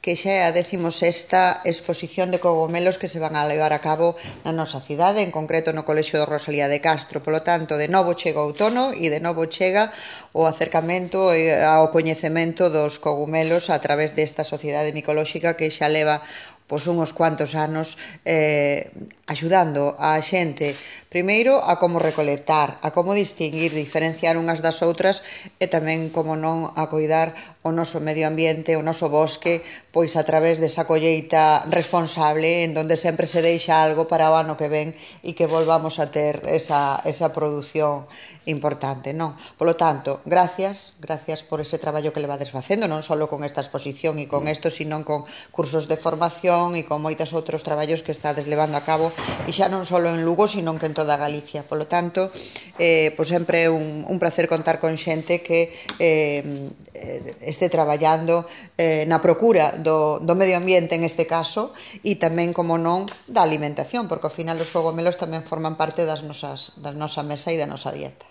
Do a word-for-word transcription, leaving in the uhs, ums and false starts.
que xa é a décimo sexta exposición de cogomelos que se van a levar a cabo na nosa cidade, en concreto no Colexio de Rosalía de Castro. Polo tanto, de novo chega o outono e de novo chega o acercamento ao coñecemento dos cogumelos a través desta sociedade micolóxica que xa leva pois uns cuantos anos eh, axudando a xente primeiro a como recolectar, a como distinguir, diferenciar unhas das outras e tamén, como non, a coidar o noso medio ambiente, o noso bosque, pois a través desa colleita responsable en donde sempre se deixa algo para o ano que ven e que volvamos a ter esa, esa produción importante, non? Polo tanto, gracias, gracias por ese traballo que levades facendo, non só con esta exposición e con isto, sino con cursos de formación e con moitos outros traballos que estades levando a cabo e xa non só en Lugo, sino que en toda Galicia. Polo tanto, eh, pois sempre é un, un placer contar con xente que eh, este traballando eh, na procura do, do medio ambiente en este caso e tamén, como non, da alimentación, porque ao final os cogomelos tamén forman parte das nosas, da nosa mesa e da nosa dieta.